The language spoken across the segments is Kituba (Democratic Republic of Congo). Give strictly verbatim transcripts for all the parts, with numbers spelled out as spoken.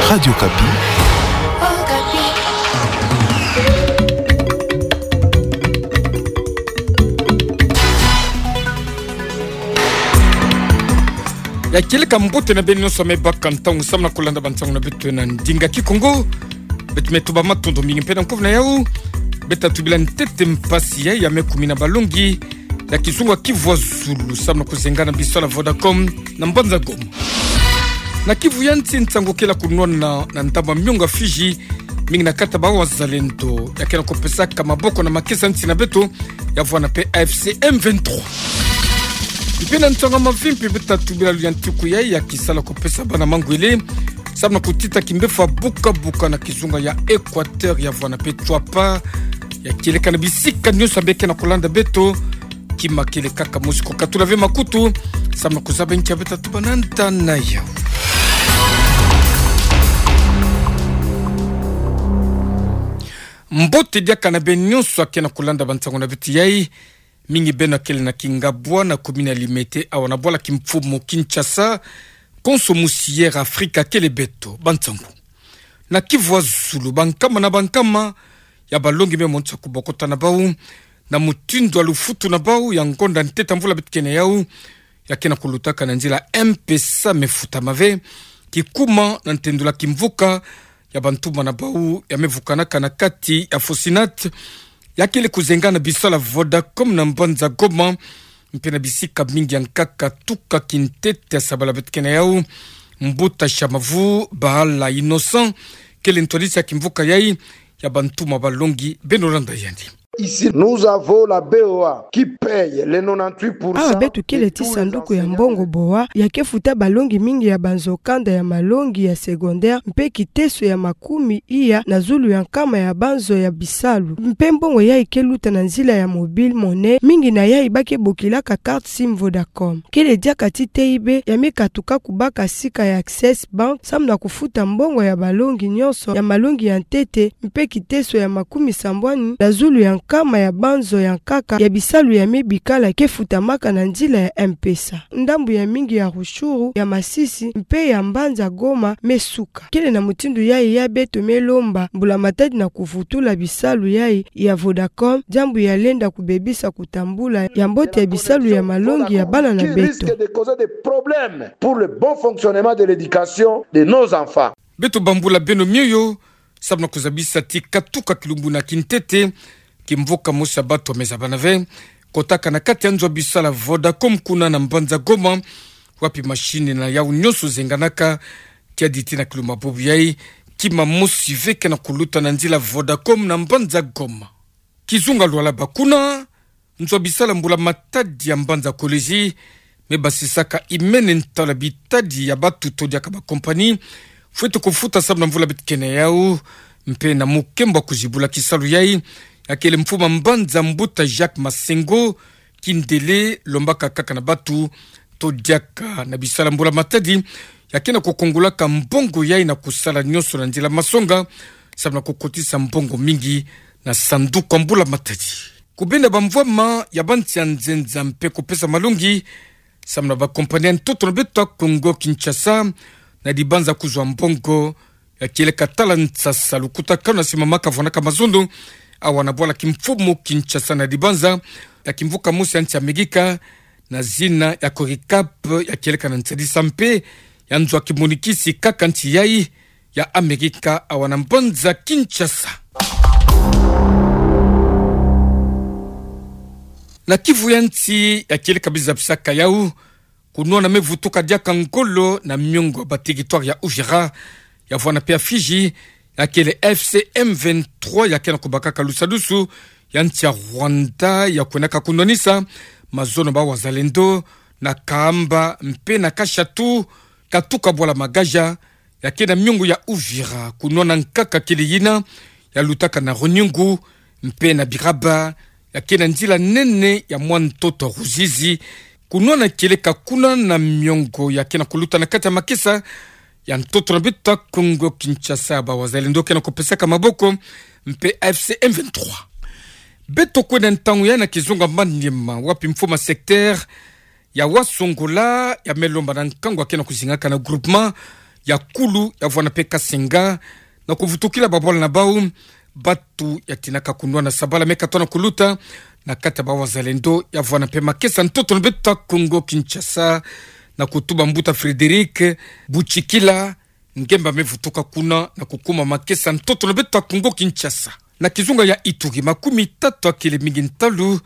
Radio Okapi. Ya kieleka mbote na beno nyonso me baka ntangu samu na kulanda bansangu na beto na ndinga Kikongo. Beto me tuba matondo mingi mpe na nkovu na yau. Beta tubila ntete mpasi ya, ya me kumina balongi ya kizunga Kivu ya Zulu samu na kuzengana bisalu ya Vodacom na mbanza Goma. Na Kivu ya Nsi, nsangu kele kunwana na ndambu ya miongo ya Fidji, mingi na kati ya ba wazalendo ya ke na kupesaka maboko na makesa nsi na beto, ya vwanda mpe A F C M vingt-trois. Mpe na nsangu ya mavimpi, beta tubila luyalu ya ntuku ya, ya kisala kupesa bana mangwele samu na kutita kimbevo buka-buka na kizunga ya Equateur, ya vwanda mpe Tshuapa. Ya kieleka na bisika nyonso ya beno ke na kulanda beto, kima kieleka, ka mosi kukatula ve makutu samu na kuzaba nkia beta tuba na nta na yau. Mbote diaka na beno nyonso ya ke na kulanda bansangu na beto yai. Mingi beno kele na Kingabwa, na commune ya Limete, awa na bwala kimfumu Kinshasa. Konso musi Air Afrique akele beto. Bansangu. Na Kivu ya Zulu, bankama na bankama ya balongi me monisa kubokota na bau na mutindu ya lufutu na bau ya ngonda ntete ya mvula beto ke na yau, ya ke na kulutaka na nzila M-Pesa, me futama ve kikuma na ntendula kimvuka ya bantuma na bau ya me vukanaka na kati ya Fosinat, ya kele kuzengana bisalu ya Vodacom na mbanza Goma, mpe na bisika mingi ya nkaka tuka kintete ya sabala beto ke na yau. Mbuta Shamavu Bahala Innocent kele ntwadisi ya kimvuka yai ya bantuma balongi. Beno landa yandi. Ici, nous avons la B O A qui paye les nonante-huit pour cent. Awa beto kele ti sanduku ya mbongo B O A, ya ke futa balongi mingi ya banzo kanda ya malongi ya secondaire, mpe kiteso ya makumi iya na zulu ya nkama ya banzo ya bisalu. Mpe mbongo yai ke luta na nzila ya mobile monnaie, mingi na yai ba ke bokilaka carte SIM Vodacom. Kele diaka ti teyi be ya me katuka kubaka sika ya Access Bank samu na kufuta mbongo ya balongi nyonso ya malongi ya ntete, mpe kiteso ya makumi sambwani na zulu ya nkama ya banzo ya nkaka ya bisalu ya me bikala ke futamaka na nzila ya M-Pesa. Ndambu ya mingi ya Rutshuru, ya Masisi, mpe ya mbanza Goma me suka. Kele na mutindu yai ya beto me lomba mbula matadi na kuvutula bisalu yai ya Vodacom, diambu ya lenda kubebisa kutambula ya mbote ya bisalu ya malongi ya bana na beto. Qui risque de causer des problèmes pour le bon fonctionnement de l'éducation de nos enfants. Beto bambula beno mioyo samu na kuzabisa ti katuka kilumbu na kintete, kimvuka mosi ya bato ya me zabana ve kotaka na kati ya nzo ya bisalu ya Vodacom kuna na mbanza Goma, wapi machine na yau nyonso zenganaka. Kiadi ti na kilumbu bobu yai, kima mosi ve ke na kuluta na nzila Vodacom na mbanza Goma. Kizunga Lualaba kuna, nzo ya bisalu ya mbula matadi ya mbanza Kolwezi me basisaka imene ntalu ya bitadi ya bato to diaka ba compagnie fwete kufuta samu na mvula beto ke na yau, mpe na mukembo ya kuzibula kisalu yai, ya kele mfumu ya mbanza, mbuta Jacques Masengo Kindele, lombaka kaka na bato to diaka na bisalu ya mbula matadi ya ke na kukongolaka mbongo yai na kusala nyonso na nzila masonga samu na kukotisa mbongo mingi na sanduku ya mbula matadi. Kubenda bamvwama ya bansi ya nzenza mpe kupesa malongi samu na ba compagnie ya ntoto na beto ya Kongo Kinshasa, na dibanza kuzwa mbongo ya kieleka tala nsasa lukutakanu ya simama kavwanaka mazono, awa na bwala kimfumu Kinshasa, na dibanza ya kimvuka mosi ya nsi ya Amerika na zina ya Coricap, ya kieleka na nsadisa mpe ya nzo ya kimonikisi kaka nsi yai ya Amerika, awa na mbanza Kinshasa. Na Kivu ya Nsi, ya kieleka biza bisaka yau, kunwana me vutuka diaka ngolo na miongo ya ba territoire ya Uvira, ya vwana mpe ya Fidji, ya kele F C M vingt-trois, ya ke na kubakaka lusadusu ya nsi ya Rwanda, ya kwenaka kunwanisa mazono ba wazalendo na Kahamba mpe na Kashatu, katuka bwala Magaja, ya ke na miongo ya Uvira. Kunwana nkaka kele yina ya lutaka na Runyungu mpe na Biraba, ya ke na nzila nene ya mwa ntoto Ruzizi. Kunwana kieleka kuna na miongo ya ke na kuluta na kati ya makesa ya ntoto na beto ya Kongo Kinshasa, ba wazalendo ke na kupesaka maboko mpe F C M vingt-trois. Beto kwenda ntangu yai na kizunga Maniema, wapi mfumu ya secteur ya Wasongola ya me lomba na nkangu ya ke na kuzingaka na groupement ya Kulu, ya vwanda mpe Kasenga, na kuvutukila babwala na bau, bato ya tinaka kunwana sabala me katoa na kuluta na kati ya ba-wazalendo, ya vwanda mpe makesa ntoto na beto ya Kongo Kinshasa, na kutuba mbuta Frédéric Butshikila, ngemba me vutuka kuna na kukuma makesa ntoto na beto ya Kongo Kinshasa. Na kizunga ya Ituri, makumi tatu ya kele mingi ntalu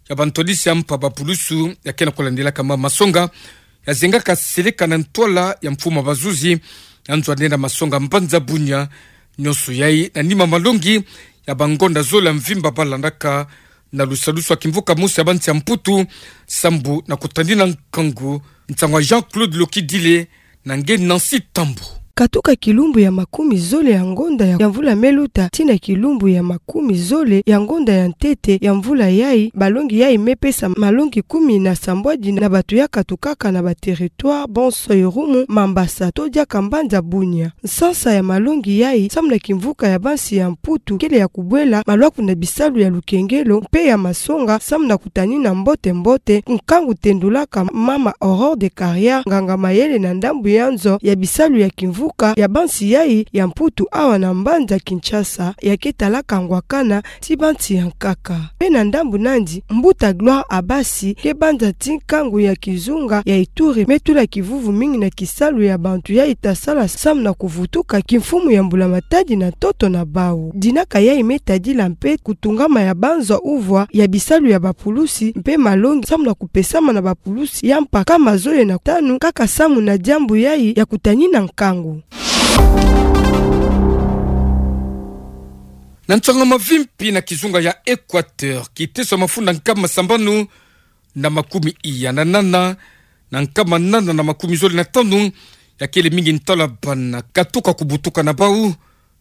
ya bantwadisi ya mpa ba pulusu ya ke na kulandelaka ma masonga ya zengaka seleka na ntwala ya mfumu ya bazuzi ya nzo ya nene ya masonga mbanza Bunia. Nyonso yai na nima malongi ya bangonda zole ya mvimba balandaka na lusalusu ya kimvuka mosi ya bansi ya Mputu, sambu na kutanina nkangu. Nsangu ya Jean-Claude Lokidile na nge Nancy Tambu. Katuka kilumbu ya makumi zole ya ngonda ya, ya mvula me luta, tii na kilumbu ya makumi zole ya ngonda ya ntete ya mvula yai, balongi yai me pesa malongi kumi na sambwadi na bato ya katukaka na ba territoires bonso, Irumu, Mambasa to diaka mbanza Bunia. Nsansa ya malongi yai, samu na kimvuka ya bansi ya Mputu, kele ya kubwela malwaku na bisalu ya lukengelo mpe ya masonga, samu na kutanina mbote-mbote nkangu tendulaka mama Aurore de Carrière, nganga-mayele na ndambu ya nzo ya bisalu ya kimvuka ya bansi yai ya Mputu awa na mbanza Kinshasa, ya ke talaka ngwakana ti bansi ya nkaka. Mpe na ndambu nandi, mbuta Gloire Abasi, ke banza ti nkangu ya kizunga ya Ituri, me tula kivuvu mingi na kisalu ya bantu yai ta sala samu na kuvutuka kimfumu ya mbula-matadi na ntoto na bau. Dinaka yai me tadila mpe kutungama ya banzo uvwa ya bisalu ya bapulusi mpe malongi samu na kupesama na bapulusi ya mpa nkama zole na tanu, kaka samu na diambu yai ya kutanina nkangu. Na nsangu ya mavimpi na kizunga ya Équateur, kiteso ya mafunda nkama sambanu na makumi iya na nana, na nkama nana na makumi zole na tanu ya kele mingi ntalu ya bana katuka kubutuka na bau,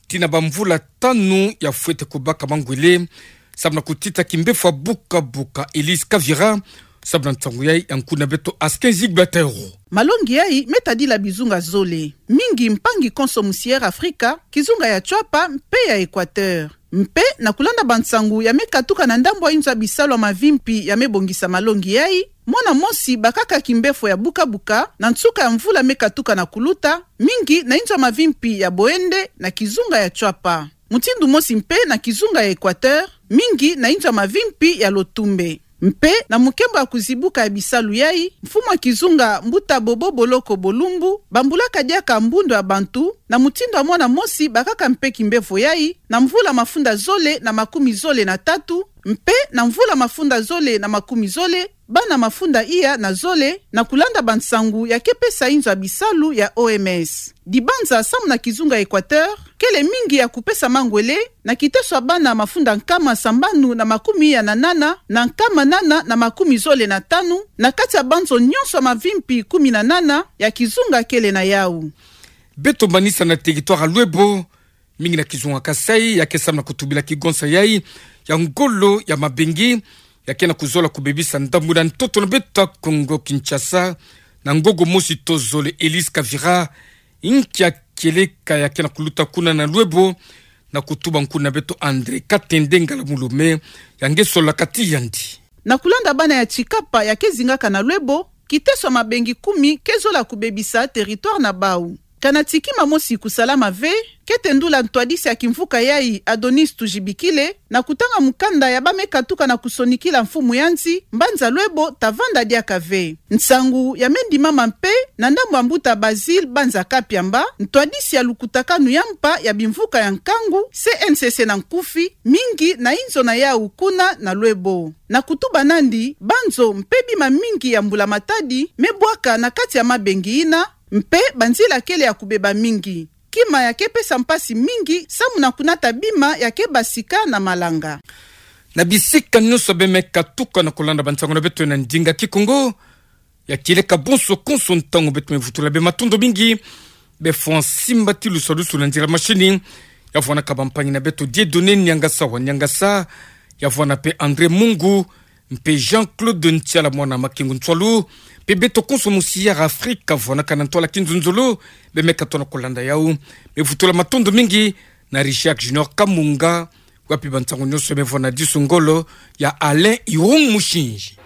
tii na bamvula tanu ya fwete kubaka mangwele, samu na kutita kimbefo ya buka-buka Elise Kavira, samu na nsangu yai ya nkuna beto Askin Zigbatero. Malongi yai me tadila bizunga zole, mingi mpangi konso musi Air Africa, kizunga ya Tshuapa mpe ya Équateur. Mpe na kulanda bansangu ya me katuka na ndambu ya inzo ya bisalu ya mavimpi ya me bongisa malongi yai, mwana mosi bakaka kimbefo ya buka-buka na nsuka ya mvula me katuka na kuluta, mingi na inzo ya mavimpi ya Boende na kizunga ya Tshuapa. Mutindu mosi mpe na kizunga ya Équateur, mingi na inzo ya mavimpi ya Lotumbe. Mpe na mukembo ya kuzibuka ya bisalu yai, mfumu ya kizunga mbuta Bobo Boloko Bolumbu bambulaka diaka mbundu ya bantu, na mutindu ya mwana mosi bakaka mpe kimbefo yai, na mvula mafunda zole na makumi zole na tatu, mpe na mvula mafunda zole na makumi zole, bana mafunda iya na zole, na kulanda bansangu ya ke pesa inzo ya bisalu ya O M S. Dibanza samu na kizunga Équateur kele mingi ya kupesa mangwele, na kiteso ya bana mafunda nkama sambanu na makumi iya na nana, na nkama nana na makumi zole na tanu, na kati ya banzo nyonso ya mavimpi kumi na nana ya kizunga kele na yau. Beto manisa na territoire ya Loebo, mingi na kizunga Kasaï, ya ke samu na kutubila kigonsa yai ya ngolo ya mabengi, ya ke na kuzola kubebisa ndambu na ntoto na beto ya Kongo Kinshasa, na ngongo mosi to zole. Elise Kavira, inkia kieleka ya ke na kuluta kuna na Loebo, na kutuba nkuna beto André Katende Ngala Mulume, ya nge solola kati yandi. Na kulanda bana ya Tshikapa ya ke zingaka na Loebo, kiteso ya mabengi kumi ke zola kubebisa territoire na bau. Kana ti kima mosi kusalama ve, ke tendula ntwadisi ya kimvuka yai Adonis Tujibikile, na kutanga mukanda ya ba me katuka na kusonikila mfumu ya nsi, mbanza Loebo ta vanda diaka ve. Nsangu ya me ndimama mpe na ndambu ya mbuta Basile banza Kapiamba, ntwadisi ya lukutakanu ya mpa ya bimvuka ya nkangu, C N C C na nkufi, mingi na inzo na yau kuna na Loebo. Na kutuba nandi, banzo mpe bima mingi ya mbula matadi me bwaka na kati ya mabengi yina, mpe banzila kele ya kubeba mingi. Kima ya ke pesa mpasi mingi samu na kunata bima ya ke basika na malanga. Na bisika nyonso be me katuka na kulanda bansangu na beto na ndinga Kikongo, ya kieleka bonso konso ntangu beto me vutula be matondo mingi, be fwa nsimbati lusalusu na nzila mashini, ya vwanaka bampangi na beto Dieudonné Niangasa wa Niangasa, ya vwana mpe André Mungu, mpe Jean-Claude Ntiala mwana Makengo Ntsualu, mpe beto konso musi Air Afrique, vwanaka na ntwala kinzonzolo, be me katoa na kulanda yau. Me vutula matondo mingi na Richard Junior Kamunga, wapi bansangu nyonso me vwa na disu ngolo ya Alain Irung Mushinji.